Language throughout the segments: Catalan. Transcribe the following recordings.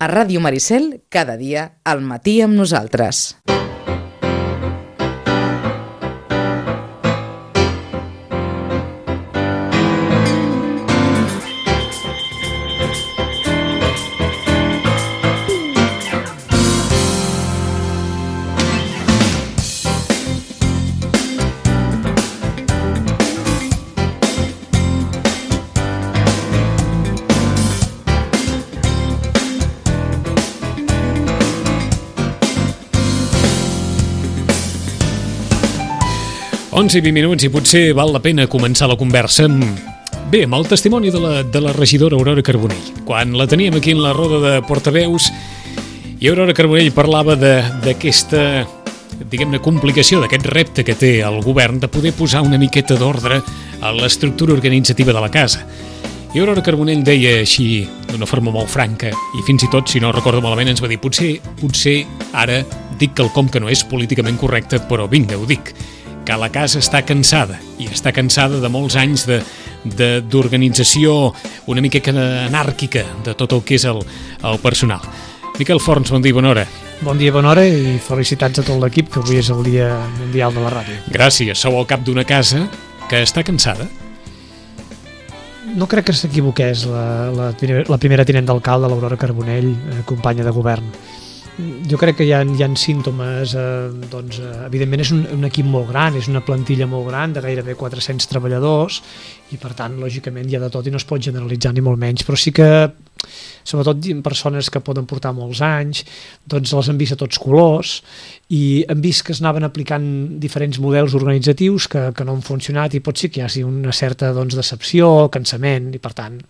A Ràdio Maricel, cada dia, al matí amb nosaltres. Onze i 20 minuts i potser val la pena començar la conversa amb el testimoni de la regidora Aurora Carbonell. Quan la teníem aquí en la roda de portaveus i Aurora Carbonell parlava d'aquesta, diguem-ne, complicació, d'aquest repte que té el govern de poder posar una miqueta d'ordre a l'estructura organitzativa de la casa. I Aurora Carbonell deia així, d'una forma molt franca, i fins i tot, si no recordo malament, ens va dir potser ara dic quelcom que no és políticament correcte, però vinga, ho dic, que la casa està cansada, i està cansada de molts anys d'organització una mica anàrquica de tot el que és el personal. Miquel Forns, bon dia, bona hora. Bon dia, bona hora i felicitats a tot l'equip, que avui és el Dia Mundial de la Ràdio. Gràcies, sou al cap d'una casa que està cansada. No crec que s'equivoqués la primera tinent d'alcalde, l'Aurora Carbonell, companya de govern. Jo crec que hi ha símptomes, evidentment és un equip molt gran, és una plantilla molt gran de gairebé 400 treballadors i per tant, lògicament, hi ha de tot i no es pot generalitzar ni molt menys, però sí que, sobretot persones que poden portar molts anys, doncs les han vist a tots colors i han vist que es anaven aplicant diferents models organitzatius que no han funcionat i pot ser que hi hagi una certa decepció, cansament i per tant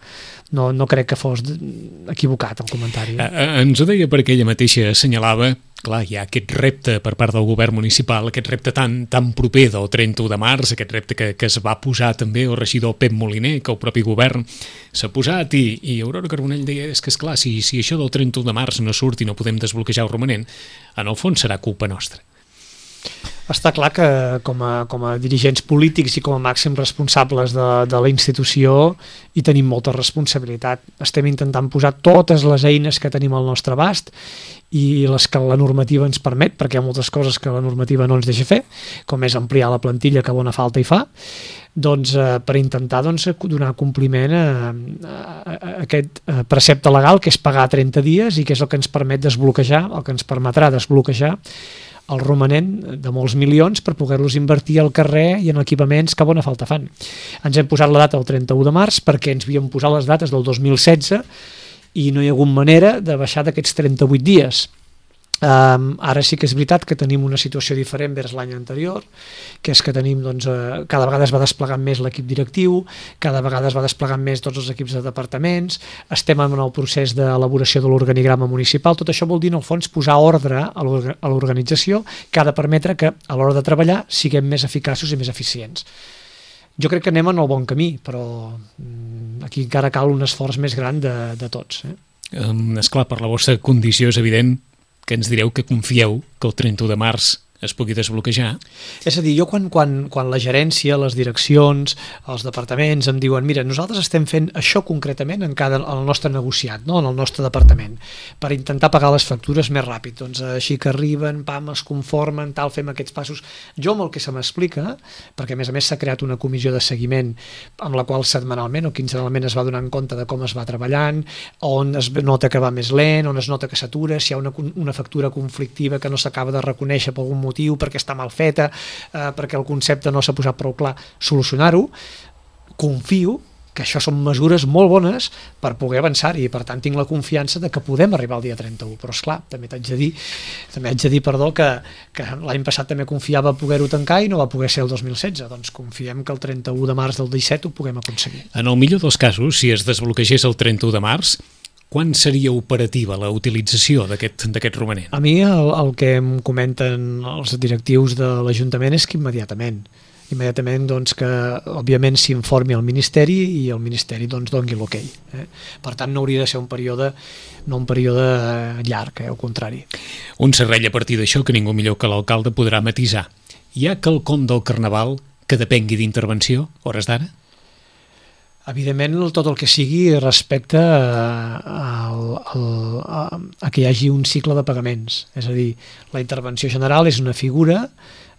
no crec que fos equivocat el comentari. Ens ho deia perquè ella mateixa assenyalava, clar, hi ha aquest repte per part del govern municipal, aquest repte tan proper del 31 de març, aquest repte que es va posar també el regidor Pep Moliner, que el propi govern s'ha posat i Aurora Carbonell deia, és que esclar, si això del 31 de març no surt i no podem desbloquejar el romanent, en el fons serà culpa nostra. Està clar que com a dirigents polítics i com a màxims responsables de la institució hi tenim molta responsabilitat. Estem intentant posar totes les eines que tenim al nostre abast i les que la normativa ens permet, perquè hi ha moltes coses que la normativa no ens deixa fer, com és ampliar la plantilla que bona falta hi fa, per intentar donar compliment a aquest precepte legal que és pagar 30 dies i que és el que ens permet desbloquejar, el que ens permetrà desbloquejar el romanent de molts milions per poder-los invertir al carrer i en equipaments que bona falta fan. Ens hem posat la data del 31 de març perquè ens havíem posat les dates del 2016 i no hi ha hagut manera de baixar d'aquests 38 dies. Ara sí que és veritat que tenim una situació diferent vers l'any anterior, que és que tenim, cada vegada es va desplegant més l'equip directiu, cada vegada es va desplegant més tots els equips de departaments, estem en el procés d'elaboració de l'organigrama municipal, tot això vol dir en el fons posar ordre a l'organització que ha de permetre que a l'hora de treballar siguem més eficaços i més eficients. Jo crec que anem en el bon camí, però aquí encara cal un esforç més gran de tots. Esclar, per la vostra condició és evident que ens direu que confieu que el 31 de març es pugui desbloquejar. És a dir, jo quan la gerència, les direccions, els departaments em diuen mira, nosaltres estem fent això concretament en el nostre negociat, no? En el nostre departament, per intentar pagar les factures més ràpid. Doncs així que arriben, es conformen, fem aquests passos. Jo amb el que se m'explica, perquè a més s'ha creat una comissió de seguiment amb la qual setmanalment o quinzenalment es va donant compte de com es va treballant, on es nota que va més lent, on es nota que s'atura, si hi ha una factura conflictiva que no s'acaba de reconèixer per algun motiu, perquè està mal feta, perquè el concepte no s'ha posat prou clar, solucionar-ho. Confio que això són mesures molt bones per poder avançar i per tant tinc la confiança de que podem arribar al dia 31, però esclar, també haig de dir que l'any passat també confiava poder-ho tancar i no va poder ser el 2016, doncs confiem que el 31 de març del 17 ho puguem aconseguir. En el millor dels casos, si es desbloquegés el 31 de març, quan seria operativa la utilització d'aquest romanent? A mi el que em comenten els directius de l'Ajuntament és que immediatament que òbviament s'informi al Ministeri i el Ministeri doni l'okei. Per tant no hauria de ser un període llarg, al contrari. Un serrell a partir d'això que ningú millor que l'alcalde podrà matisar. Hi ha quelcom del Carnaval que depengui d'intervenció, hores d'ara? Evidentment, tot el que sigui respecte a que hi hagi un cicle de pagaments. És a dir, la intervenció general és una figura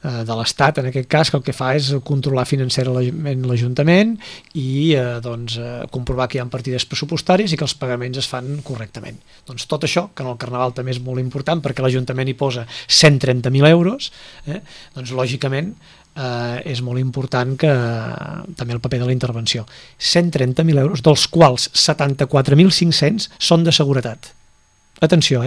de l'Estat, en aquest cas, que el que fa és controlar financerament l'Ajuntament i comprovar que hi ha partides pressupostàries i que els pagaments es fan correctament. Doncs tot això, que en el Carnaval també és molt important perquè l'Ajuntament hi posa 130.000 euros, doncs lògicament és molt important que també el paper de la intervenció. 130.000 euros, dels quals 74.500 són de seguretat. Atenció,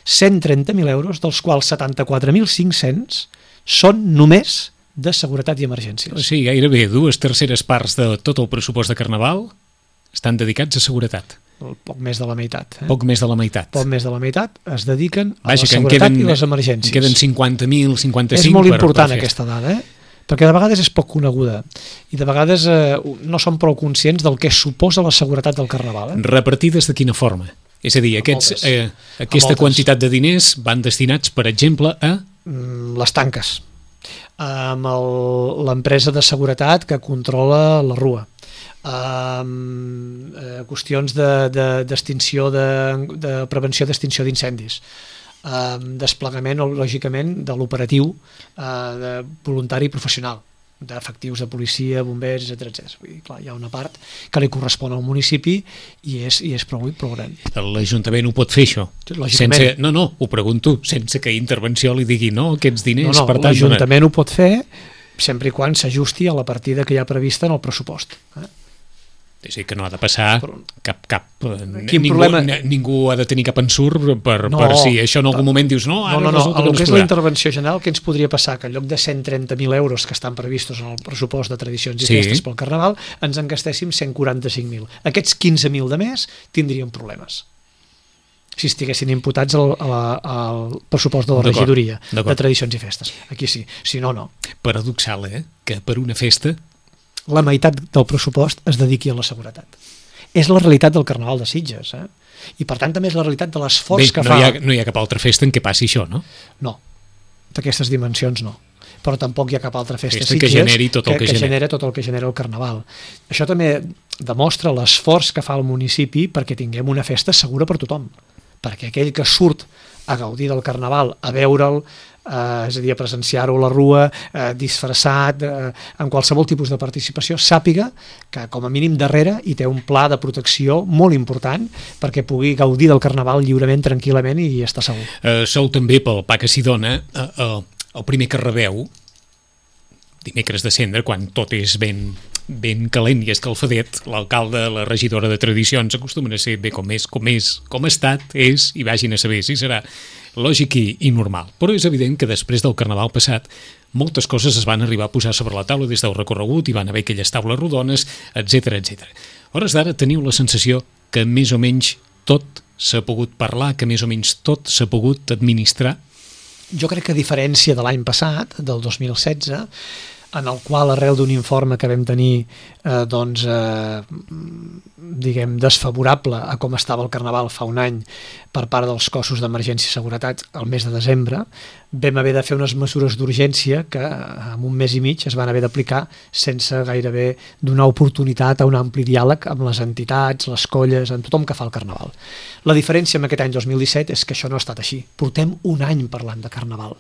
130.000 euros, dels quals 74.500 són només de seguretat i emergències. O sigui, gairebé 2/3 parts de tot el pressupost de Carnaval estan dedicats a seguretat. Poc més de la meitat. Poc més de la meitat. Poc més de la meitat es dediquen a la seguretat i les emergències. En queden 50.000, 55... És molt important aquesta dada, perquè de vegades és poc coneguda i de vegades no som prou conscients del que suposa la seguretat del Carnaval. Repartides de quina forma? És a dir, aquesta quantitat de diners van destinats, per exemple, a... Les tanques, amb l'empresa de seguretat que controla la rua, qüestions d'extinció, de prevenció d'extinció d'incendis, desplegament, lògicament, de l'operatiu de voluntari i professional, d'efectius de policia, bombers, etc. Vull dir, clar, hi ha una part que li correspon al municipi i és prou gran. L'Ajuntament ho pot fer, això? Lògicament. No, ho pregunto, sense que Intervenció li digui no, aquests diners... No, l'Ajuntament ho pot fer sempre i quan s'ajusti a la partida que hi ha prevista en el pressupost. És a dir, que no ha de passar ningú ha de tenir cap ensurt per si això en algun moment dius no, ara resulta que no es és podrà. La intervenció general, què ens podria passar? Que en lloc de 130.000 euros que estan previstos en el pressupost de tradicions i festes pel Carnaval, ens en gastéssim 145.000. Aquests 15.000 de més tindrien problemes si estiguessin imputats al pressupost de la regidoria de tradicions i festes. Aquí sí, si no, no. Paradoxal, que per una festa la meitat del pressupost es dediqui a la seguretat. És la realitat del Carnaval de Sitges, i per tant també és la realitat de l'esforç que fa... No hi ha cap altra festa en què passi això, no? No, d'aquestes dimensions no. Però tampoc hi ha cap altra festa a Sitges que generi tot el que genera tot el que genera el Carnaval. Això també demostra l'esforç que fa el municipi perquè tinguem una festa segura per tothom, perquè aquell que surt a gaudir del Carnaval, a veure'l, és a dir, a presenciar-ho a la rua, disfressat, en qualsevol tipus de participació, sàpiga que com a mínim darrere hi té un pla de protecció molt important perquè pugui gaudir del Carnaval lliurement, tranquil·lament i estar segur. Sou també, pel pa que s'hi dona, el primer que rebeu dimecres de Cendra, quan tot és ben calent i escalfadet, l'alcalde, la regidora de tradicions acostumen a ser bé com ha estat, és, i vagin a saber si serà lògic i normal. Però és evident que després del Carnaval passat moltes coses es van arribar a posar sobre la taula des del recorregut, hi van haver aquelles taules rodones, etc. A hores d'ara teniu la sensació que més o menys tot s'ha pogut parlar, que més o menys tot s'ha pogut administrar? Jo crec que a diferència de l'any passat, del 2016, en el qual, arrel d'un informe que vam tenir diguem, desfavorable a com estava el Carnaval fa un any per part dels cossos d'emergència i seguretat el mes de desembre, vam haver de fer unes mesures d'urgència que en un mes i mig es van haver d'aplicar sense gairebé donar oportunitat a un ampli diàleg amb les entitats, les colles, amb tothom que fa el Carnaval. La diferència amb aquest any 2017 és que això no ha estat així. Portem un any parlant de Carnaval.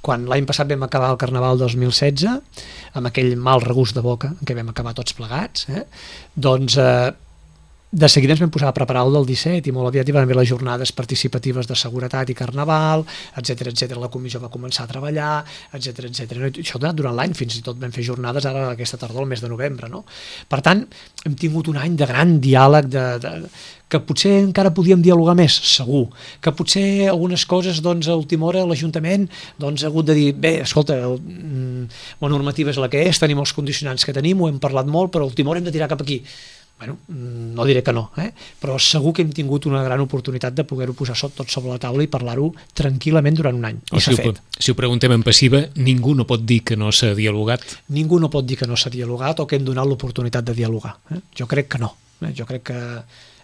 Quan l'any passat vam acabar el Carnaval 2016, amb aquell mal regust de boca en què vam acabar tots plegats, doncs de seguida ens vam posar a preparar el del 17 i molt aviat hi van haver les jornades participatives de seguretat i Carnaval, etc. La comissió va començar a treballar, etc. Això durant l'any, fins i tot vam fer jornades ara aquesta tardor, el mes de novembre, no? Per tant, hem tingut un any de gran diàleg, que potser encara podíem dialogar més, segur, que potser algunes coses, doncs, a última hora l'Ajuntament ha hagut de dir, bé, escolta, la normativa és la que és, tenim els condicionants que tenim, ho hem parlat molt, però a última hora hem de tirar cap aquí. Bueno, no diré que no, però segur que hem tingut una gran oportunitat de poder-ho posar tot sobre la taula i parlar-ho tranquil·lament durant un any. I s'ha fet. Si ho preguntem en passiva, ningú no pot dir que no s'ha dialogat? Ningú no pot dir que no s'ha dialogat o que hem donat l'oportunitat de dialogar. Jo crec que no. Jo crec que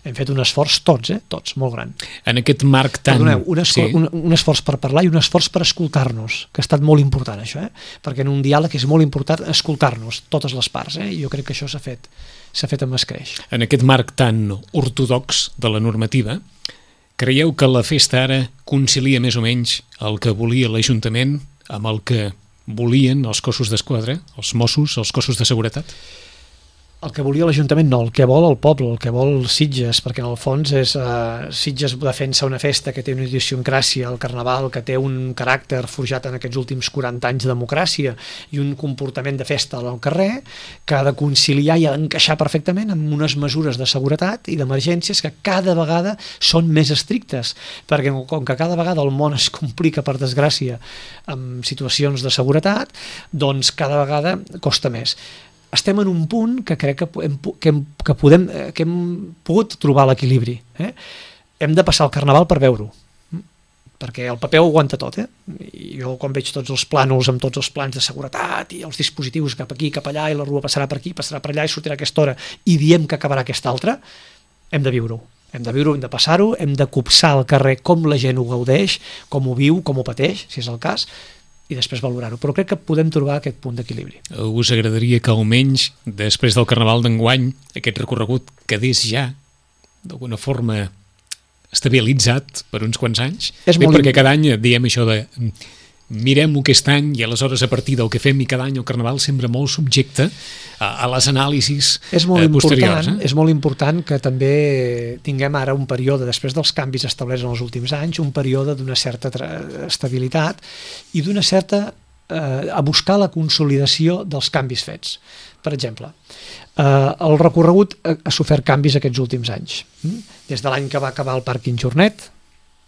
Hem fet un esforç tots, molt gran. En aquest marc tan... Perdoneu, un esforç per parlar i un esforç per escoltar-nos, que ha estat molt important això, perquè en un diàleg és molt important escoltar-nos, totes les parts, i jo crec que això s'ha fet amb escreix. En aquest marc tan ortodox de la normativa, creieu que la festa ara concilia més o menys el que volia l'Ajuntament amb el que volien els cossos d'esquadra, els Mossos, els cossos de seguretat? El que volia l'Ajuntament no, el que vol el poble, el que vol Sitges, perquè en el fons Sitges defensa una festa que té una idiosincràsia, el Carnaval, que té un caràcter forjat en aquests últims 40 anys de democràcia i un comportament de festa al carrer que ha de conciliar i encaixar perfectament amb unes mesures de seguretat i d'emergències que cada vegada són més estrictes, perquè com que cada vegada el món es complica, per desgràcia, amb situacions de seguretat, doncs cada vegada costa més. Estem en un punt que crec que hem pogut trobar l'equilibri. Hem de passar el Carnaval per veure-ho, perquè el paper ho aguanta tot. I jo quan veig tots els plànols amb tots els plans de seguretat i els dispositius cap aquí, cap allà, i la rua passarà per aquí, passarà per allà i sortirà a aquesta hora, i diem que acabarà aquesta altra, hem de viure-ho. Hem de viure-ho, hem de passar-ho, hem de copsar al carrer com la gent ho gaudeix, com ho viu, com ho pateix, si és el cas, i després valorar-ho, però crec que podem trobar aquest punt d'equilibri. Us agradaria que almenys després del Carnaval d'enguany aquest recorregut quedés ja d'alguna forma estabilitzat per uns quants anys? Perquè cada any diem això de mirem-ho aquest any i aleshores a partir del que fem i cada any el Carnaval sembla molt subjecte a les anàlisis posteriors. És molt important que també tinguem ara un període, després dels canvis establerts en els últims anys, un període d'una certa estabilitat i d'una certa a buscar la consolidació dels canvis fets. Per exemple, el recorregut ha sofert canvis aquests últims anys. Des de l'any que va acabar el pàrquing Jornet,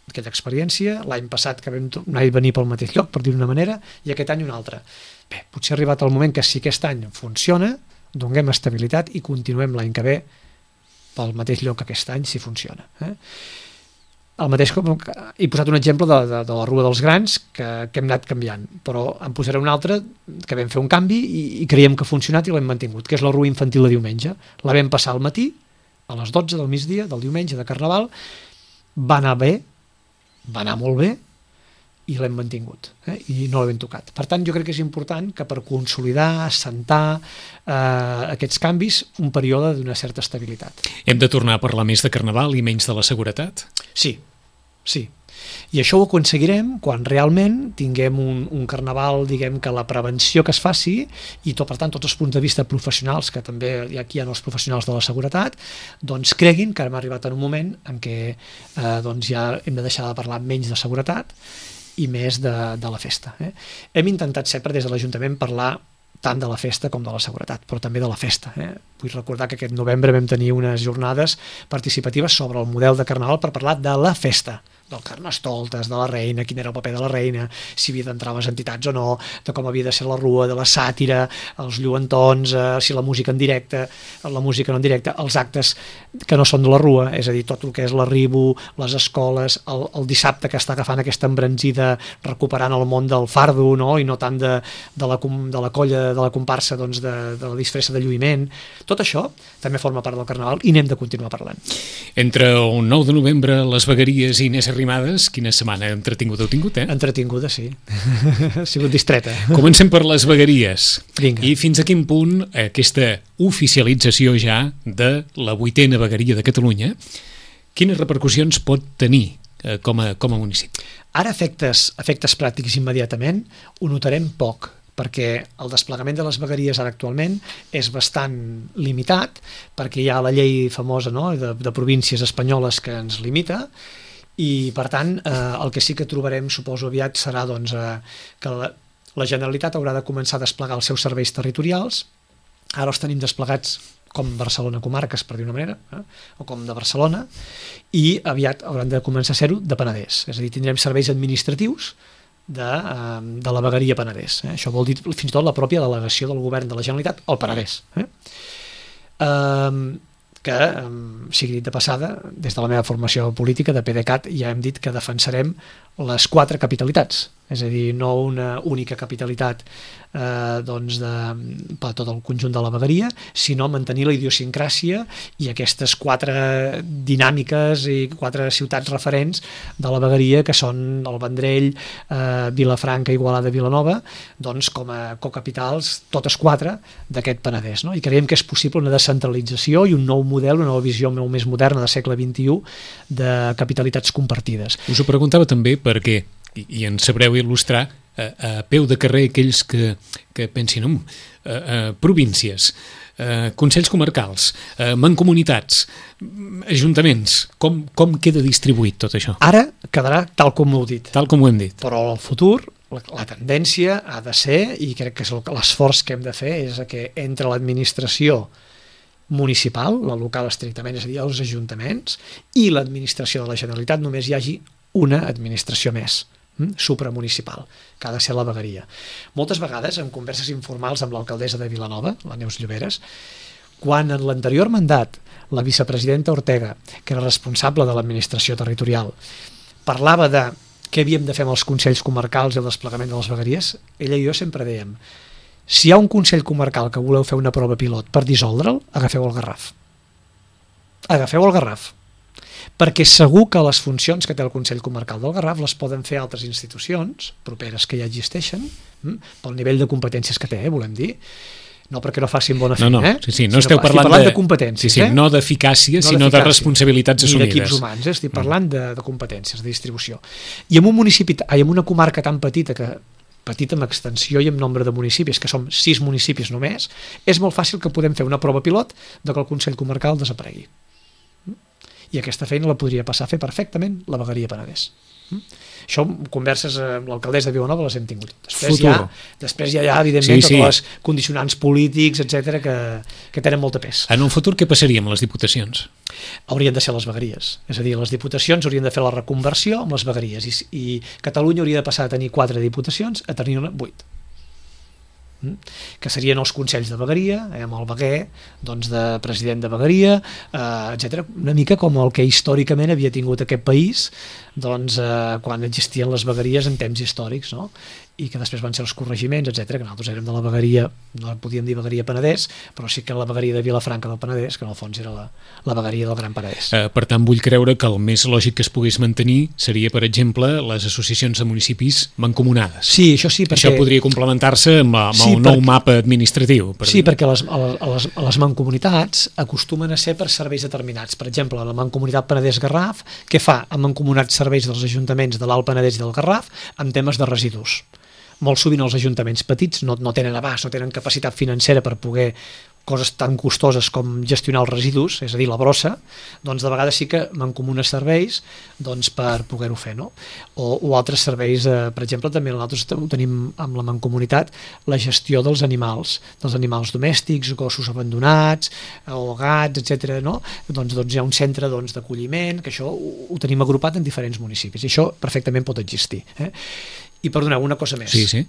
aquella experiència, l'any passat que vam anar i venir pel mateix lloc, per dir-ho d'una manera, i aquest any un altre. Bé, potser ha arribat el moment que si aquest any funciona, donem estabilitat i continuem l'any que ve pel mateix lloc aquest any, si funciona. El mateix, he posat un exemple de la Rua dels Grans que hem anat canviant, però en posaré un altre que vam fer un canvi i creiem que ha funcionat i l'hem mantingut, que és la Rua Infantil de diumenge. La vam passar al matí, a les 12 del migdia, del diumenge de Carnaval, va anar bé, va anar molt bé i l'hem mantingut i no l'hem tocat. Per tant, jo crec que és important que per consolidar, assentar aquests canvis, un període d'una certa estabilitat. Hem de tornar a parlar més de Carnaval i menys de la seguretat? Sí. I això ho aconseguirem quan realment tinguem un Carnaval, diguem que la prevenció que es faci i per tant tots els punts de vista professionals, que també aquí hi ha els professionals de la seguretat, doncs creguin que hem arribat en un moment en què ja hem de deixar de parlar menys de seguretat i més de la festa. Hem intentat sempre des de l'Ajuntament parlar tant de la festa com de la seguretat, però també de la festa. Vull recordar que aquest novembre vam tenir unes jornades participatives sobre el model de Carnaval per parlar de la festa, del Carnestoltes, de la reina, quin era el paper de la reina, si havia d'entrar a les entitats o no, de com havia de ser la rua, de la sàtira, els lluentons, si la música en directe, la música no en directe, els actes que no són de la rua, és a dir, tot el que és l'arribo, les escoles, el dissabte que està agafant aquesta embranzida recuperant el món del fardo, no? I no tant de la colla, de la comparsa, doncs, de la disfressa de lluïment. Tot això també forma part del Carnaval i n'hem de continuar parlant. Entre el 9 de novembre, les vegueries i Inés Arrimadas, quina setmana entretinguda heu tingut, Entretinguda, sí. Ha sigut distreta. Comencem per les vegueries. Vinga. I fins a quin punt aquesta oficialització ja de la 8ª vegueria de Catalunya, quines repercussions pot tenir com a municipi? Ara, efectes pràctics immediatament, ho notarem poc, perquè el desplegament de les vegueries ara actualment és bastant limitat, perquè hi ha la llei famosa, no?, de províncies espanyoles que ens limita, i per tant el que sí que trobarem, suposo aviat, serà doncs, que la Generalitat haurà de començar a desplegar els seus serveis territorials. Ara els tenim desplegats com Barcelona Comarques, per dir una manera, o com de Barcelona, i aviat hauran de començar a ser-ho de Penedès, és a dir, tindrem serveis administratius de la vegueria Penedès. Això vol dir fins i tot la pròpia delegació del govern de la Generalitat al Penedès. Que, sigui dit de passada, des de la meva formació política de PDeCAT ja hem dit que defensarem les 4 capitalitats, és a dir, no una única capitalitat doncs per tot el conjunt de la vegueria, sinó mantenir la idiosincràsia i aquestes 4 dinàmiques i 4 ciutats referents de la vegueria, que són el Vendrell, Vilafranca, Igualada, Vilanova, doncs com a cocapitals, totes 4 d'aquest Penedès, no? I creiem que és possible una descentralització i un nou model, una nova visió molt més moderna del segle XXI de capitalitats compartides. Us ho preguntava també perquè, i ens sabreu il·lustrar a peu de carrer aquells que pensin províncies, consells comarcals, mancomunitats, ajuntaments, com queda distribuït tot això? Ara quedarà tal com ho heu dit. Tal com ho hem dit. Però al futur la tendència ha de ser, i crec que és l'esforç que hem de fer, és que entre l'administració municipal, la local estrictament, és a dir, els ajuntaments, i l'administració de la Generalitat només hi hagi una administració més, supramunicipal, que ha de ser la vegueria. Moltes vegades, en converses informals amb l'alcaldessa de Vilanova, la Neus Lloberes, quan en l'anterior mandat la vicepresidenta Ortega, que era responsable de l'administració territorial, parlava de què havíem de fer amb els consells comarcals i el desplegament de les vegueries, ella i jo sempre dèiem: si hi ha un consell comarcal que voleu fer una prova pilot per dissoldre'l, agafeu el Garraf. Agafeu el Garraf. Perquè segur que les funcions que té el Consell Comarcal del Garraf les poden fer altres institucions properes que ja existeixen, pel nivell de competències que té, volem dir. No perquè no facin bona feina, no esteu parlant de competències. Sí, no d'eficàcia, sinó de responsabilitats assumides. Ni d'equips humans, estic parlant de competències, de distribució. I en un municipi, en una comarca tan petita en extensió i en nombre de municipis, que som 6 municipis només, és molt fàcil que podem fer una prova pilot de que el Consell Comarcal desaparegui. I aquesta feina la podria passar a fer perfectament la vegueria Penedès. Això, converses amb l'alcaldessa de Vilanova les hem tingut. Després hi ha evidentment, tots els condicionants polítics, etcètera, que tenen molt de pes. En un futur què passaria amb les diputacions? Haurien de ser les vegueries. És a dir, les diputacions haurien de fer la reconversió amb les vegueries i Catalunya hauria de passar a tenir 4 diputacions a tenir-ne 8. Que serien els consells de vegueria, amb el veguer de president de vegueria, etc. Una mica com el que històricament havia tingut aquest país quan existien les vegueries en temps històrics, no? I que després van ser els corregiments, etc. Que nosaltres érem de la vegueria, no podíem dir vegueria Penedès, però sí que la vegueria de Vilafranca del Penedès, que en el fons era la vegueria del Gran Penedès. Per tant, vull creure que el més lògic que es pogués mantenir seria, per exemple, les associacions de municipis mancomunades. Sí, això sí, perquè... Això podria complementar-se amb el nou mapa administratiu. Sí, perquè les mancomunitats acostumen a ser per serveis determinats. Per exemple, la mancomunitat Penedès-Garraf, què fa? Ha mancomunat serveis dels ajuntaments de l'Alt Penedès i del Garraf amb temes de residus. Molt sovint els ajuntaments petits no tenen abast, no tenen capacitat financera per poder coses tan costoses com gestionar els residus, és a dir, la brossa, doncs de vegades sí que mancomunen serveis per poder-ho fer, no? O altres serveis, per exemple, també nosaltres ho tenim amb la mancomunitat, la gestió dels animals domèstics, gossos abandonats, o gats, etc. No? Doncs hi ha un centre d'acolliment, que això ho tenim agrupat en diferents municipis, i això perfectament pot existir. I perdoneu, una cosa més. Sí.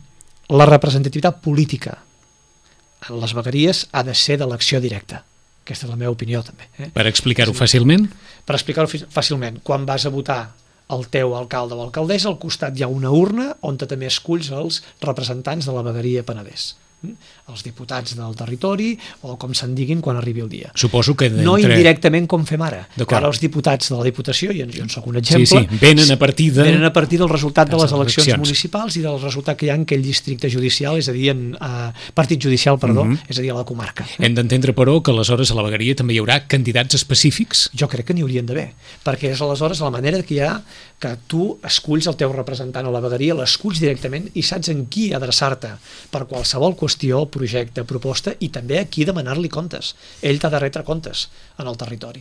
La representativitat política en les vegueries ha de ser d'elecció directa. Aquesta és la meva opinió, també. Per explicar-ho fàcilment? Per explicar-ho fàcilment. Quan vas a votar el teu alcalde o alcaldessa, al costat hi ha una urna on també esculls els representants de la vegueria Penedès. Els diputats del territori o com se'n diguin quan arribi el dia. Suposo que no indirectament com fem ara. Ara els diputats de la Diputació, i jo en soc un exemple, venen a partir del resultat de les eleccions municipals i del resultat que hi ha en aquell districte judicial, és a dir, en partit judicial, és a dir, a la comarca. Hem d'entendre, però, que aleshores a la vegueria també hi haurà candidats específics? Jo crec que n'hi haurien d'haver, perquè és aleshores la manera que hi ha que tu esculls el teu representant a la vegueria, l'esculls directament i saps en qui adreçar-te per qualsevol qüestió, projecte, proposta, i també a qui demanar-li comptes. Ell t'ha de retre comptes en el territori.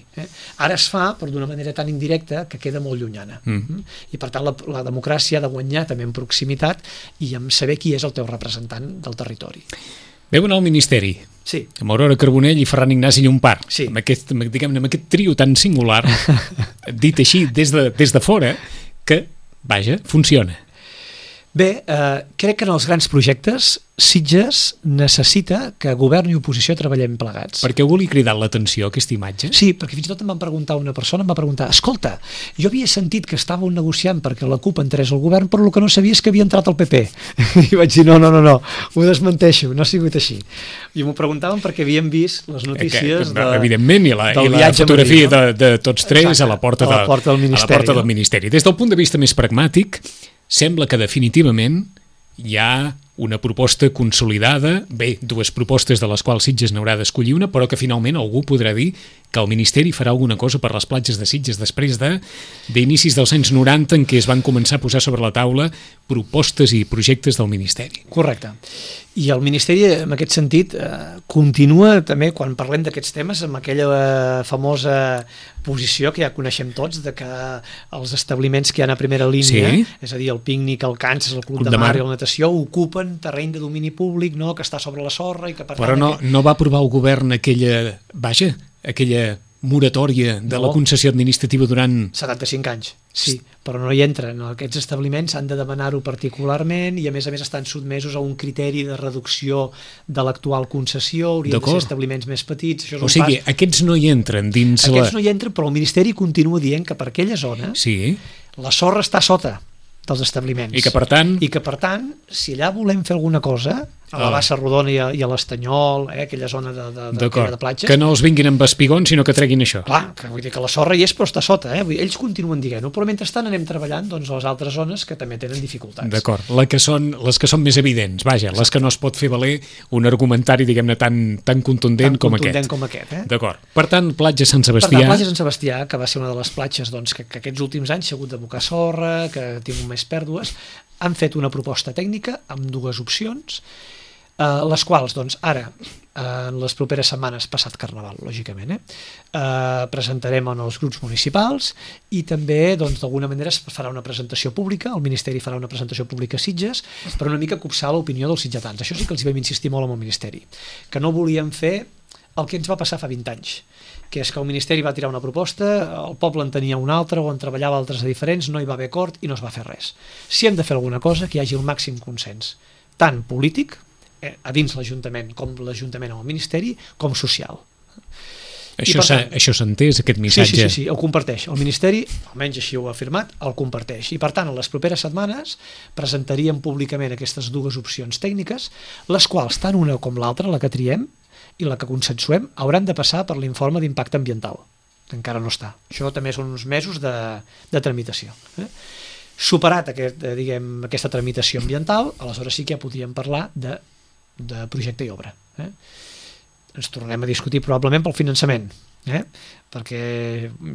Ara es fa, però d'una manera tan indirecta que queda molt llunyana. I per tant la democràcia ha de guanyar també en proximitat i en saber qui és el teu representant del territori. Veu anar al Ministeri. Sí. Amb Aurora Carbonell i Ferran Ignasi Llompart. Sí. Amb aquest trio tan singular, dit així des de fora, que, vaja, funciona. Bé, crec que en els grans projectes Sitges necessita que govern i oposició treballem plegats. Per què algú li ha cridat l'atenció aquesta imatge? Sí, perquè fins i tot em van preguntar una persona, em va preguntar, escolta, jo havia sentit que estàveu negociant perquè la CUP entrés al govern, però el que no sabia és que havia entrat al PP. I vaig dir, no, ho desmenteixo, no ha sigut així. I m'ho preguntaven perquè havien vist les notícies evidentment, i la fotografia de tots tres. Exacte, a la porta del Ministeri. Des del punt de vista més pragmàtic, sembla que definitivament hi ha una proposta consolidada, bé, dues propostes de les quals Sitges n'haurà d'escollir una, però que finalment algú podrà dir que el Ministeri farà alguna cosa per les platges de Sitges després d'inicis dels anys 90 en què es van començar a posar sobre la taula propostes i projectes del Ministeri. Correcte. I el Ministeri, en aquest sentit, continua també, quan parlem d'aquests temes, amb aquella famosa posició que ja coneixem tots, de que els establiments que hi ha a primera línia, sí, és a dir, el pícnic, el Kansas, el Club de Mar i la natació, ocupen terreny de domini públic, no, que està sobre la sorra i que per tant... Però no va aprovar el govern aquella moratòria de la concessió administrativa durant... 75 anys, sí, però no hi entren. Aquests establiments han de demanar-ho particularment i a més estan sotmesos a un criteri de reducció de l'actual concessió, haurien de ser establiments més petits. Això és o sigui, aquests no hi entren dins Aquests no hi entren, però el Ministeri continua dient que per aquella zona la sorra està sota dels establiments. I que per tant, si allà volem fer alguna cosa, a la Bassa Rodona i a l'Estanyol, aquella zona de platges... Que no els vinguin amb espigons, sinó que treguin això. Clar, que vull dir que la sorra hi és, però està sota. Ells continuen dient-ho, però mentrestant anem treballant doncs, a les altres zones que també tenen dificultats. D'acord, les que són més evidents, vaja, les que no es pot fer valer un argumentari, diguem-ne, tan contundent com aquest. D'acord. Per tant, platja Sant Sebastià... Per tant, platja Sant Sebastià, que va ser una de les platges doncs, que aquests últims anys s'ha hagut d'abocar sorra, que ha tingut més pèrdues, han fet una proposta tècnica amb dues opcions, les quals, doncs, ara, en les properes setmanes, passat Carnaval, lògicament, presentarem en els grups municipals i també, doncs, d'alguna manera es farà una presentació pública, el Ministeri farà una presentació pública a Sitges, per una mica copsar l'opinió dels sitgetans. Això sí que els vam insistir molt amb el Ministeri, que no volíem fer el que ens va passar fa 20 anys, que és que el Ministeri va tirar una proposta, el poble en tenia una altra o en treballava altres de diferents, no hi va haver acord i no es va fer res. Si hem de fer alguna cosa, que hi hagi el màxim consens, tant polític, a dins l'Ajuntament, com l'Ajuntament amb el Ministeri, com social. Això s'ha entès, aquest missatge? Sí, el comparteix. El Ministeri, almenys així ho ha afirmat, el comparteix. I per tant, en les properes setmanes presentaríem públicament aquestes dues opcions tècniques, les quals, tant una com l'altra, la que triem i la que consensuem, hauran de passar per l'informe d'impacte ambiental, que encara no està. Això també són uns mesos de tramitació. Superat aquesta tramitació ambiental, aleshores sí que ja podríem parlar de projecte i obra. Ens tornem a discutir probablement pel finançament, perquè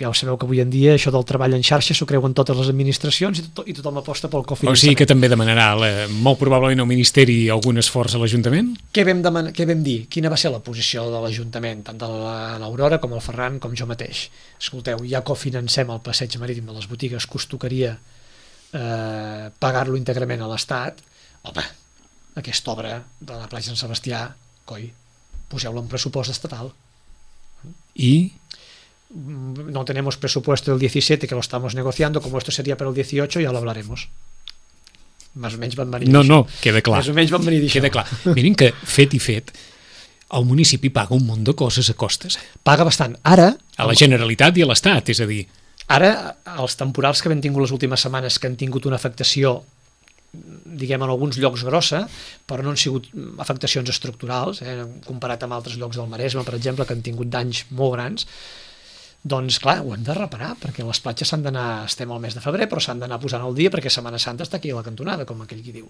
ja ho sabeu que avui en dia això del treball en xarxa s'ho creuen totes les administracions i tothom aposta pel cofinançament. O sigui que també demanarà molt probablement al Ministeri algun esforç a l'Ajuntament? Què vam dir? Quina va ser la posició de l'Ajuntament, tant de l'Aurora com el Ferran com jo mateix? Escolteu, ja cofinancem el passeig marítim de les botigues, que us tocaria pagar-lo íntegrament a l'Estat. Home, aquesta obra de la platja Sant Sebastià, coi, poseu-la en pressupost estatal. ¿Y? No tenemos presupuesto del 17, que lo estamos negociando, como esto sería para el 18, ya lo hablaremos. Més o menys van venir No, queda clar. Més o menys van venir queda clar. Miren que, fet, el municipi paga un munt de coses a costes. Paga bastant. Ara... A la Generalitat i a l'Estat, és a dir... Ara, els temporals que hem tingut les últimes setmanes, que han tingut una afectació, diguem, en alguns llocs grossa, però no han sigut afectacions estructurals, comparat amb altres llocs del Maresme, per exemple, que han tingut danys molt grans, doncs clar, ho hem de reparar, perquè les platges s'han d'anar, estem al mes de febrer, però s'han d'anar posant al dia, perquè Setmana Santa està aquí a la cantonada, com aquell qui diu.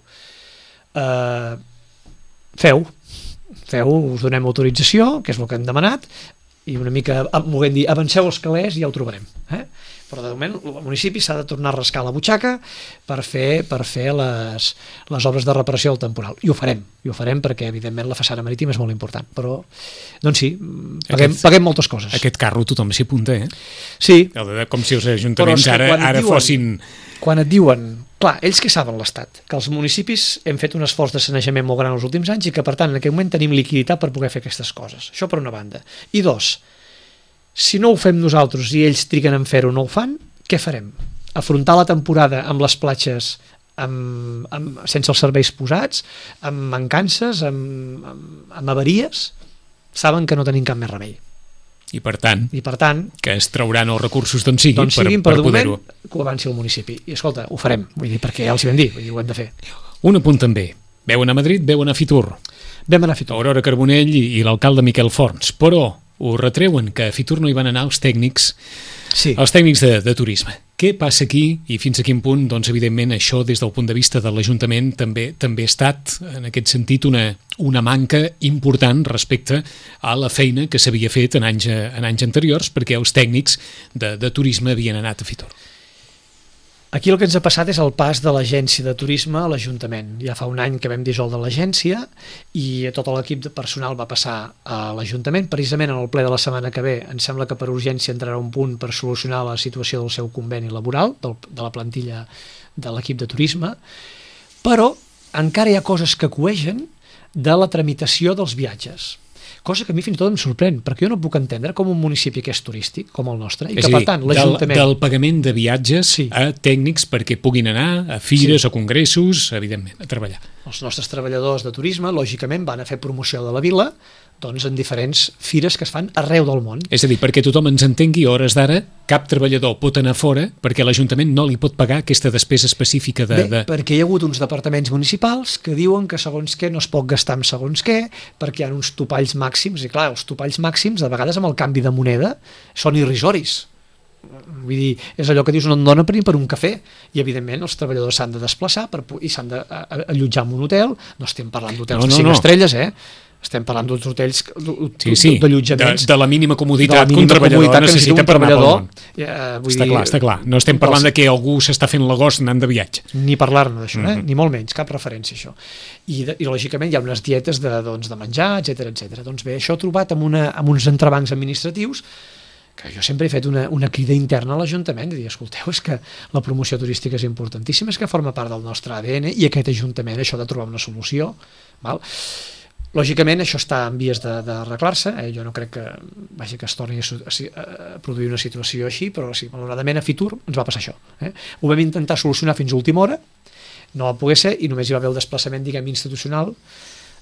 Feu, us donem autorització, que és el que hem demanat, i una mica, volem dir, avanceu els calés i ja ho trobarem. Però de moment el municipi s'ha de tornar a rascar la butxaca per fer les obres de reparació del temporal. I ho farem perquè evidentment la façana marítima és molt important, però doncs sí, paguem moltes coses. Aquest carro tothom s'hi apunta, Sí. Com si els ajuntaments ara fossin... Quan et diuen, clar, ells que saben l'Estat, que els municipis hem fet un esforç de sanejament molt gran els últims anys i que per tant en aquest moment tenim liquiditat per poder fer aquestes coses. Això per una banda. I dos, si no ho fem nosaltres i ells triguen en fer-ho no ho fan, què farem? Afrontar la temporada amb les platges sense els serveis posats, amb mancances, amb avaries, saben que no tenim cap més remei. I per tant, que es trauran els recursos d'on siguin per poder-ho. Que ho avanci el municipi. I escolta, ho farem, vull dir, perquè ja els hi vam dir, vull dir, ho hem de fer. Un apunt també. Veu anar a Madrid, veu anar a Fitur. Vam anar a Fitur. Aurora Carbonell i l'alcalde Miquel Forns, però ho retreuen que a Fitur no hi van anar els tècnics, els tècnics de turisme. Què passa aquí i fins a quin punt, doncs, evidentment, això des del punt de vista de l'Ajuntament també ha estat, en aquest sentit, una manca important respecte a la feina que s'havia fet en anys anteriors, perquè els tècnics de turisme havien anat a Fitur. Aquí el que ens ha passat és el pas de l'agència de turisme a l'Ajuntament. Ja fa un any que vam dissoldre l'agència i tot l'equip de personal va passar a l'Ajuntament. Precisament en el ple de la setmana que ve em sembla que per urgència entrarà un punt per solucionar la situació del seu conveni laboral, de la plantilla de l'equip de turisme, però encara hi ha coses que coegen de la tramitació dels viatges. Cosa que a mi fins i tot em sorprèn, perquè jo no puc entendre com un municipi que és turístic, com el nostre, i que per tant l'Ajuntament... Del pagament de viatges a tècnics perquè puguin anar a fires, a congressos, evidentment, a treballar. Els nostres treballadors de turisme, lògicament, van a fer promoció de la vila, doncs en diferents fires que es fan arreu del món. És a dir, perquè tothom ens entengui, a hores d'ara, cap treballador pot anar fora perquè l'Ajuntament no li pot pagar aquesta despesa específica de... perquè hi ha hagut uns departaments municipals que diuen que segons què no es pot gastar amb segons què, perquè hi ha uns topalls màxims, i clar, els topalls màxims, de vegades amb el canvi de moneda, són irrisoris. Vull dir, és allò que dius, no et dona per un cafè, i evidentment els treballadors s'han de desplaçar i s'han d'allotjar en un hotel. No estem parlant d'hotels de 5 estrelles, estem parlant d'uns hotells d'allotjaments de la mínima comoditat que un treballador necessita per anar pel món. Està clar, no estem parlant de que algú s'està fent l'agost anant de viatge, ni parlar-ne d'això, ni molt menys, cap referència a això. I lògicament hi ha unes dietes de menjar, etc. Doncs bé, això trobat amb uns entrebancs administratius que jo sempre he fet una crida interna a l'Ajuntament de dir, escolteu, és que la promoció turística és importantíssima, és que forma part del nostre ADN i aquest Ajuntament això ha de trobar una solució, val? Lògicament això està en vies d'arreglar-se, jo no crec que es torni a produir una situació així, però sí, malauradament a Fitur ens va passar això. Ho vam intentar solucionar fins a última hora, no va poder ser i només hi va haver el desplaçament, diguem, institucional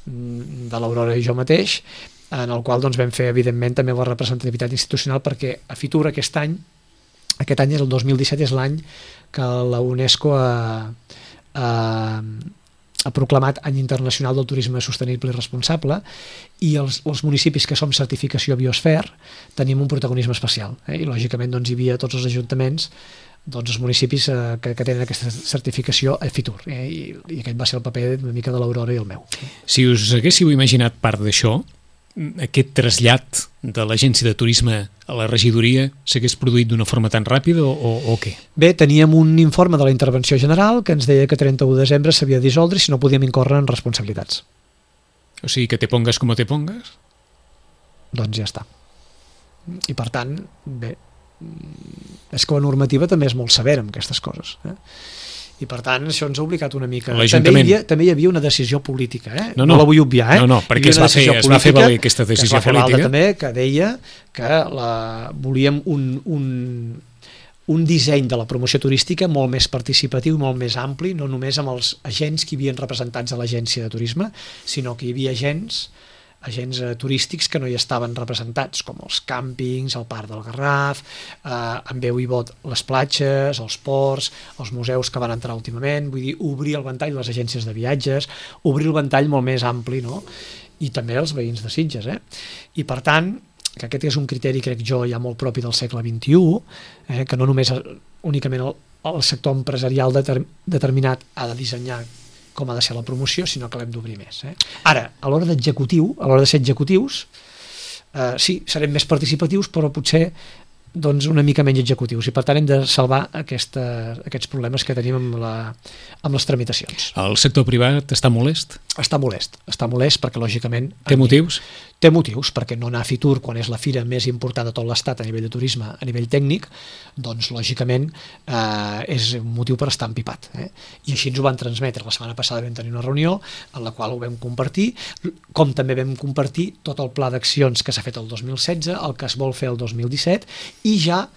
de l'Aurora i jo mateix, en el qual doncs, vam fer evidentment també la representativitat institucional, perquè a Fitur aquest any és el 2017, és l'any que la UNESCO ha proclamat Any Internacional del Turisme Sostenible i Responsable, i els municipis que som certificació Biosfer tenim un protagonisme especial, i lògicament doncs, hi havia tots els ajuntaments, doncs, els municipis que tenen aquesta certificació a Fitur, i aquest va ser el paper una mica de l'Aurora i el meu. Si us haguéssiu imaginat part d'això, aquest trasllat de l'agència de turisme a la regidoria s'hagués produït d'una forma tan ràpida o què? Bé, teníem un informe de la intervenció general que ens deia que 31 de desembre s'havia de dissoldre i si no podíem incórrer en responsabilitats. O sigui que te pongas com te pongas? Doncs ja està. I per tant, bé, és que la normativa també és molt severa amb aquestes coses, i per tant això ens ha obligat una mica. També hi havia una decisió política, no la vull obviar, no, perquè es va fer valer aquesta decisió política també, que deia que volíem un disseny de la promoció turística molt més participatiu, molt més ampli, no només amb els agents que hi havia representats a l'agència de turisme, sinó que hi havia agents turístics que no hi estaven representats, com els càmpings, el Parc del Garraf, amb veu i vot les platges, els ports, els museus que van entrar últimament, vull dir, obrir el ventall les agències de viatges, obrir el ventall molt més ampli, no? I també els veïns de Sitges, I per tant, que aquest és un criteri, crec jo, ja molt propi del segle XXI, que no només únicament el sector empresarial determinat ha de dissenyar com ha de ser la promoció, sinó que l'hem d'obrir més. Ara, a l'hora de ser executius, sí, serem més participatius, però potser doncs, una mica menys executius, i per tant hem de salvar aquests problemes que tenim amb les tramitacions. El sector privat està molest? Està molest perquè lògicament... Té motius? Té motius, perquè no anar a Fitur quan és la fira més important de tot l'estat a nivell de turisme, a nivell tècnic, doncs lògicament és un motiu per estar empipat. I així ens ho van transmetre. La setmana passada vam tenir una reunió en la qual ho vam compartir, com també vam compartir tot el pla d'accions que s'ha fet el 2016, el que es vol fer el 2017, i ja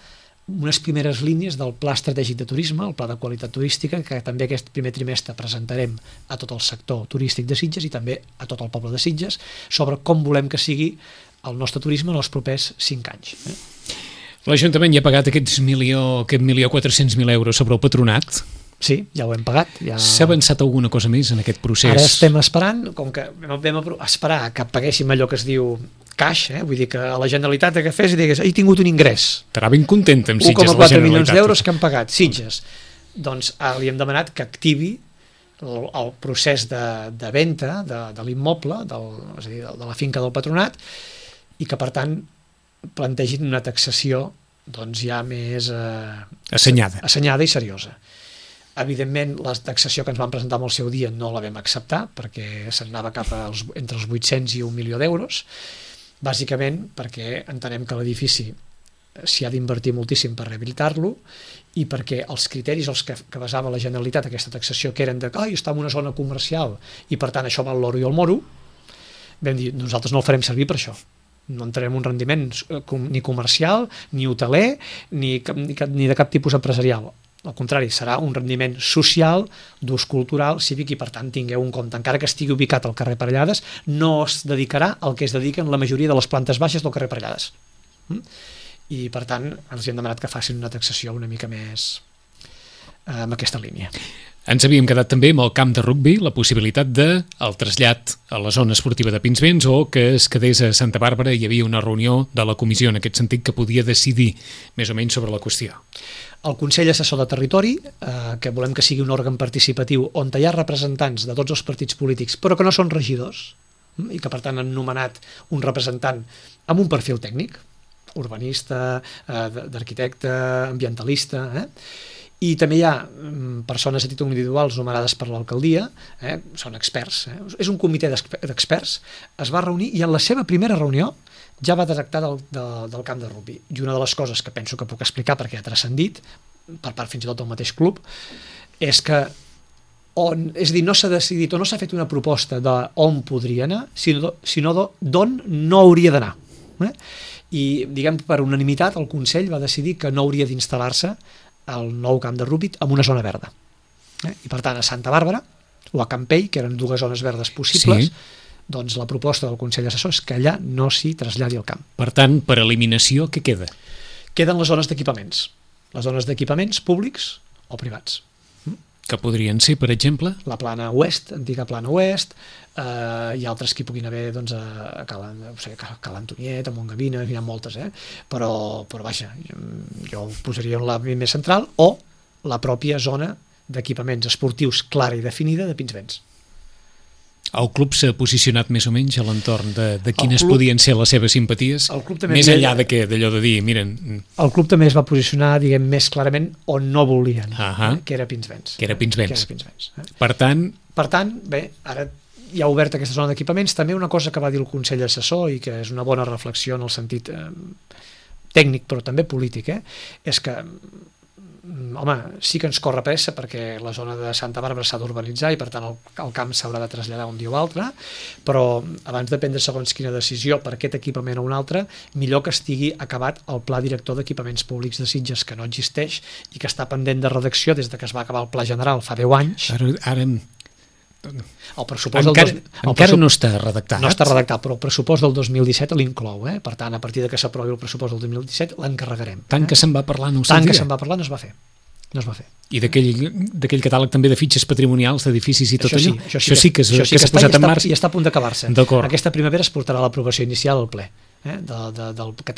unes primeres línies del Pla Estratègic de Turisme, el Pla de Qualitat Turística, que també aquest primer trimestre presentarem a tot el sector turístic de Sitges i també a tot el poble de Sitges, sobre com volem que sigui el nostre turisme en els propers 5 anys. L'Ajuntament ja ha pagat aquest 1.400.000 euros sobre el patronat. Sí, ja ho hem pagat. Ja... S'ha avançat alguna cosa més en aquest procés? Ara estem esperant, com que vam esperar que paguéssim allò que es diu cash, vull dir que a la Generalitat que fes i digués, he tingut un ingrés. Estarà ben content amb Sitges. 1,4 milions d'euros que han pagat Sitges. Doncs li hem demanat que activi el procés de venda de l'immoble, és a dir, de la finca del patronat, i que, per tant, plantegin una taxació doncs, ja més assenyada i seriosa. Evidentment, la taxació que ens van presentar en el seu dia no la vam acceptar, perquè s'anava cap entre els 800 i 1 milió d'euros, bàsicament perquè entenem que l'edifici s'hi ha d'invertir moltíssim per rehabilitar-lo i perquè els criteris als que basava la Generalitat aquesta taxació, que eren de que està en una zona comercial i per tant això val l'oro i el moro, vam dir, nosaltres no el farem servir per això. No entrarem un rendiment ni comercial, ni hoteler, ni de cap tipus empresarial. Al contrari, serà un rendiment social, d'ús cultural, cívic, i per tant tingueu en compte, encara que estigui ubicat al carrer Parellades, no es dedicarà al que es dediquen la majoria de les plantes baixes del carrer Parellades. I per tant els hem demanat que facin una taxació una mica més en aquesta línia. Ens havíem quedat també amb el camp de rugbi, la possibilitat del trasllat a la zona esportiva de Pinsbens o que es quedés a Santa Bàrbara. Hi havia una reunió de la comissió en aquest sentit que podia decidir més o menys sobre la qüestió. El Consell Assessor de Territori, que volem que sigui un òrgan participatiu on hi ha representants de tots els partits polítics però que no són regidors i que per tant han nomenat un representant amb un perfil tècnic, urbanista, d'arquitecte, ambientalista, i també hi ha persones a títol individuals nomenades per l'alcaldia, són experts, és un comitè d'experts, es va reunir i en la seva primera reunió ja va tractar del camp de rugbi. I una de les coses que penso que puc explicar perquè ha transcendit, per part fins i tot del mateix club, és que és a dir, no s'ha decidit o no s'ha fet una proposta d'on podria anar, sinó d'on no hauria d'anar. I, diguem, per unanimitat, el Consell va decidir que no hauria d'instal·lar-se el nou camp de rugbi en una zona verda. I per tant, a Santa Bàrbara o a Campell, que eren dues zones verdes possibles, doncs la proposta del Consell Assessor és que allà no s'hi traslladi el camp. Per tant, per eliminació, què queda? Queden les zones d'equipaments. Les zones d'equipaments públics o privats. Que podrien ser, per exemple? La plana oest, antiga plana oest, hi ha altres que hi puguin haver doncs, a Cal Antoniet, a Montgavina, hi ha moltes, però vaja, jo ho posaria en l'àmbit més central, o la pròpia zona d'equipaments esportius clara i definida de Pinsbens. El club s'ha posicionat més o menys a l'entorn de quines podien ser les seves simpaties, més enllà d'allò de dir, miren... El club també es va posicionar, diguem, més clarament on no volien, que era Pinsbens. Per tant, bé, ara hi ha obert aquesta zona d'equipaments. També una cosa que va dir el Consell Assessor i que és una bona reflexió en el sentit tècnic però també polític, és que home, sí que ens corre pressa perquè la zona de Santa Bàrbara s'ha d'urbanitzar i per tant el camp s'haurà de traslladar un dia o altre, però abans de prendre segons quina decisió per aquest equipament o un altre, millor que estigui acabat el Pla Director d'Equipaments Públics de Sitges, que no existeix i que està pendent de redacció des que es va acabar el Pla General fa 10 anys. Ara el pressupost encara no està redactat. No està redactat, però el pressupost del 2017 l'inclou. Per tant, a partir de que s'aprovi el pressupost del 2017 l'encarregarem. Tant que se'n va parlar no ho sabia. Tant que se'n va parlar no es va fer. I d'aquell catàleg també de fitxes patrimonials d'edificis i tot allò? Això sí que s'ha posat en marxa. I està a punt d'acabar-se. Aquesta primavera es portarà a l'aprovació inicial al ple. De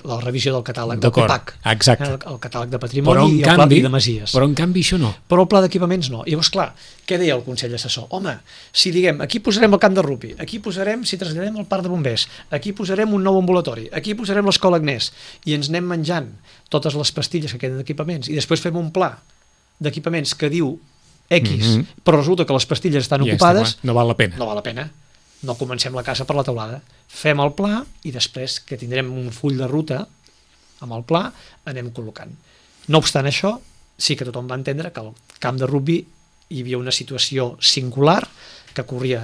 la revisió del catàleg del PEPAC, el catàleg de patrimoni i el pla de masies. Però en canvi això no. Però el pla d'equipaments no. I llavors, clar, què deia el Consell Assessor? Home, si diguem, aquí posarem el camp de rugbi, aquí posarem, si traslladem el parc de bombers, aquí posarem un nou ambulatori, aquí posarem l'escola Agnès, i ens anem menjant totes les pastilles que queden d'equipaments, i després fem un pla d'equipaments que diu X, però resulta que les pastilles estan ocupades, no val la pena. No val la pena. No comencem la casa per la teulada. Fem el pla i després que tindrem un full de ruta amb el pla anem col·locant. No obstant això, sí que tothom va entendre que al camp de rugbi hi havia una situació singular que corria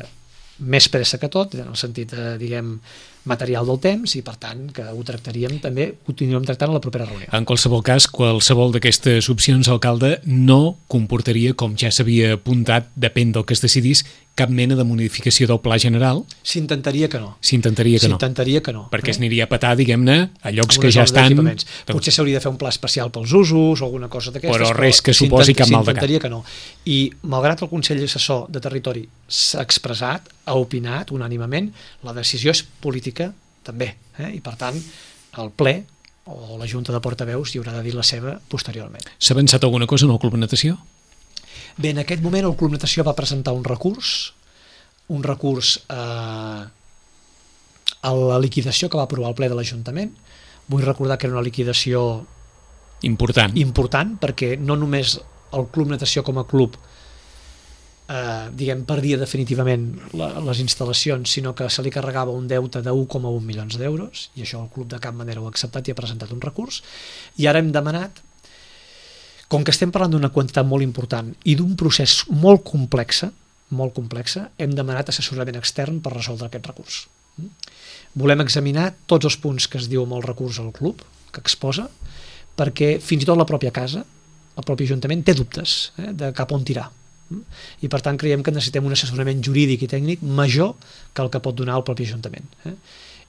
més pressa que tot, en el sentit, diguem, material del temps i, per tant, que ho tractaríem també, ho tindríem tractant a la propera reunió. En qualsevol cas, qualsevol d'aquestes opcions, alcalde, no comportaria, com ja s'havia apuntat, depèn del que es decidís, cap mena de modificació del pla general? S'intentaria que no. S'intentaria que no. S'intentaria que no. Perquè es aniria a petar, diguem-ne, a llocs que ja estan... Potser s'hauria de fer un pla especial pels usos o alguna cosa d'aquestes. Però res que suposi cap mal de cap. S'intentaria que no. I, malgrat el Consell Assessor de Territori s'ha expressat, ha opinat unànimement, la decisió és política també. I, per tant, el ple o la Junta de Portaveus hi haurà de dir la seva posteriorment. S'ha avançat alguna cosa en el Club Natació? Bé, en aquest moment el Club Natació va presentar un recurs a la liquidació que va aprovar el ple de l'Ajuntament. Vull recordar que era una liquidació important perquè no només el Club Natació com a club perdia definitivament les instal·lacions, sinó que se li carregava un deute de 1,1 milions d'euros, i això el club de cap manera ho ha acceptat i ha presentat un recurs, i ara hem demanat, com que estem parlant d'una quantitat molt important i d'un procés molt complex, hem demanat assessorament extern per resoldre aquest recurs. Volem examinar tots els punts que es diu amb el recurs al club, que exposa, perquè fins i tot la pròpia casa, el propi Ajuntament, té dubtes de cap on tirar. I, per tant, creiem que necessitem un assessorament jurídic i tècnic major que el que pot donar el propi Ajuntament.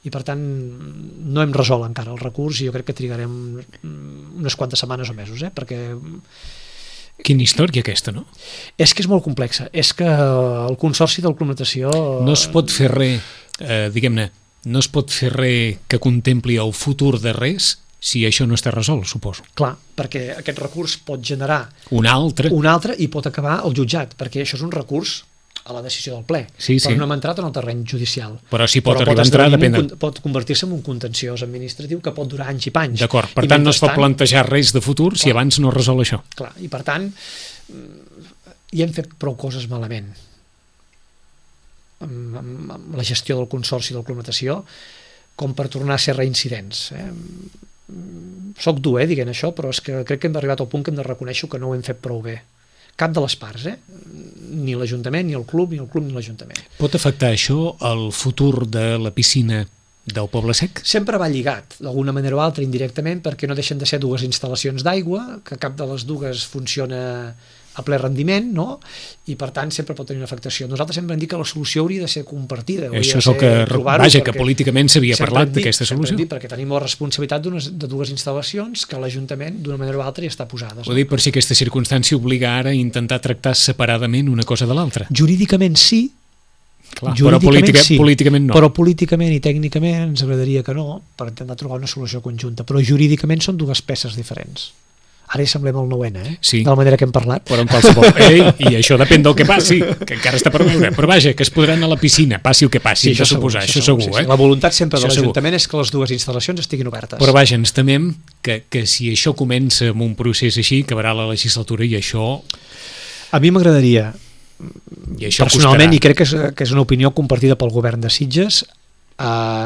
I, per tant, no hem resolt encara el recurs i jo crec que trigarem unes quantes setmanes o mesos, perquè... Quina història aquesta, no? És que és molt complexa. És que el Consorci del Club Natació... No es pot fer res, diguem-ne, no es pot fer res que contempli el futur de res si això no està resolt, suposo. Clar, perquè aquest recurs pot generar... Un altre i pot acabar al jutjat, perquè això és un recurs a la decisió del ple, però no hem entrat en el terreny judicial. Però si pot arribar a entrar, depèn. Pot convertir-se en un contenciós administratiu que pot durar anys i panys. D'acord, per tant no es pot plantejar res de futur si abans no resol això. Clar, i per tant hi hem fet prou coses malament amb la gestió del Consorci del Club Natació com per tornar a ser reincidents. Soc dur dient això, però és que crec que hem arribat al punt que hem de reconèixer que no ho hem fet prou bé. Cap de les parts, ni l'Ajuntament, ni el club, ni l'Ajuntament. Pot afectar això el futur de la piscina del Poble Sec? Sempre va lligat, d'alguna manera o altra, indirectament, perquè no deixen de ser dues instal·lacions d'aigua, que cap de les dues funciona a ple rendiment, no? I, per tant, sempre pot tenir una afectació. Nosaltres sempre hem dit que la solució hauria de ser compartida. Això és el que... Vaja, que políticament s'havia parlat d'aquesta solució. Perquè tenim la responsabilitat de dues instal·lacions que l'Ajuntament, d'una manera o altra, hi està posada. Ho dic per si aquesta circumstància obliga ara a intentar tractar separadament una cosa de l'altra. Jurídicament sí, però políticament no. Però políticament i tècnicament ens agradaria que no, per intentar trobar una solució conjunta. Però jurídicament són dues peces diferents. Ara hi semblem el 9N, sí, de la manera que hem parlat. Però en qualsevol... I això depèn del que passi, que encara està per veure. Però vaja, que es podran anar a la piscina, passi el que passi, sí, això suposar, això segur. Sí. La voluntat sempre de l'Ajuntament és que les dues instal·lacions estiguin obertes. Però vaja, ens temem que si això comença amb un procés així, acabarà la legislatura i això... A mi m'agradaria, personalment, i crec que és una opinió compartida pel govern de Sitges,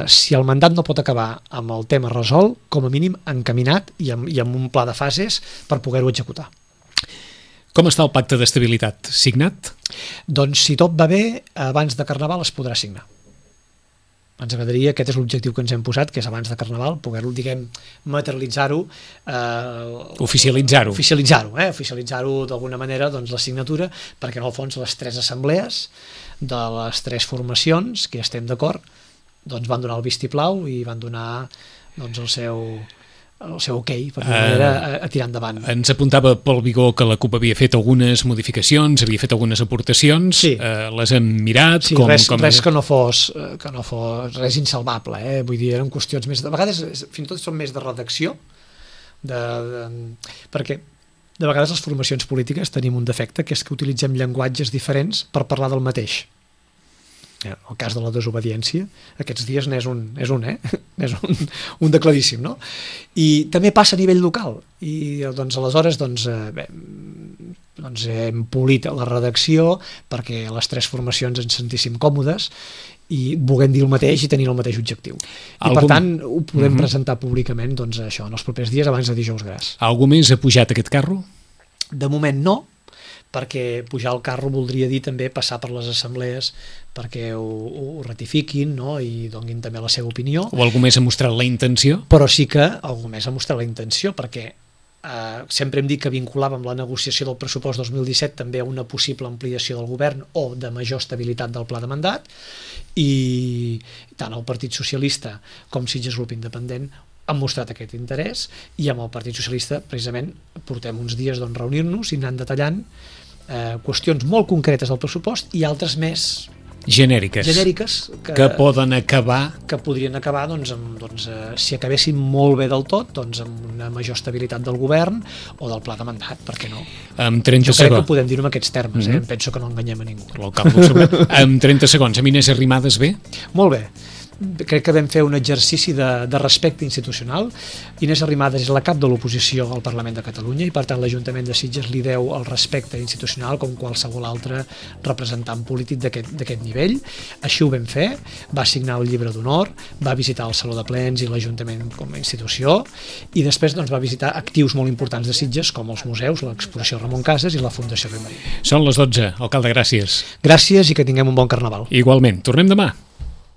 si el mandat no pot acabar amb el tema resolt, com a mínim encaminat i amb un pla de fases per poder-ho executar. Com està el pacte d'estabilitat? Signat? Doncs si tot va bé, abans de Carnaval es podrà signar. Ens agradaria, aquest és l'objectiu que ens hem posat, que és abans de Carnaval, poder-ho, materialitzar-ho, oficialitzar-ho d'alguna manera, doncs, la signatura, perquè en el fons les tres assemblees de les tres formacions, que ja estem d'acord, doncs van donar el vistiplau i van donar doncs, el seu ok per a tirar endavant. Ens apuntava Pol Vigó que la CUP havia fet algunes modificacions, havia fet algunes aportacions, sí. Les hem mirat. Sí, res que no fos res insalvable, vull dir, eren qüestions més... De vegades fins i tot són més de redacció, perquè de vegades les formacions polítiques tenim un defecte, que és que utilitzem llenguatges diferents per parlar del mateix. El cas de la desobediència, aquests dies n'és un de claríssim, no? I també passa a nivell local, i doncs aleshores hem polit la redacció perquè les tres formacions ens sentíssim còmodes i vulguem dir el mateix i tenir el mateix objectiu. I per tant ho podem presentar públicament doncs, això, en els propers dies abans de dijous gras. Algú més ha pujat aquest carro? De moment no, perquè pujar al carro voldria dir també passar per les assemblees perquè ho ratifiquin, no? I donin també la seva opinió. O algú més ha mostrat la intenció? Però sí que algú més ha mostrat la intenció, perquè sempre hem dit que vinculàvem la negociació del pressupost 2017 també a una possible ampliació del govern o de major estabilitat del pla de mandat, i tant el Partit Socialista com Sitges Grup Independent han mostrat aquest interès, i amb el Partit Socialista precisament portem uns dies reunir-nos i anant detallant qüestions molt concretes del pressupost i altres més genèriques que poden acabar, que podrien acabar si acabessin molt bé del tot, amb una major estabilitat del govern o del pla de mandat, per què no? Amb 30 jo crec que podem dir-ho amb aquests termes, em penso que no enganyem a ningú. Amb 30 segons, amb Inés Arrimadas bé? Molt bé. Crec que vam fer un exercici de respecte institucional. Inés Arrimadas és la cap de l'oposició al Parlament de Catalunya i per tant l'Ajuntament de Sitges li deu el respecte institucional com qualsevol altre representant polític d'aquest nivell. Així ho vam fer, va signar el llibre d'honor, va visitar el Saló de Plens i l'Ajuntament com a institució i després va visitar actius molt importants de Sitges com els museus, l'exposició Ramon Casas i la Fundació Rei Maria. Són les 12. Alcalde, gràcies. Gràcies i que tinguem un bon carnaval. Igualment. Tornem demà.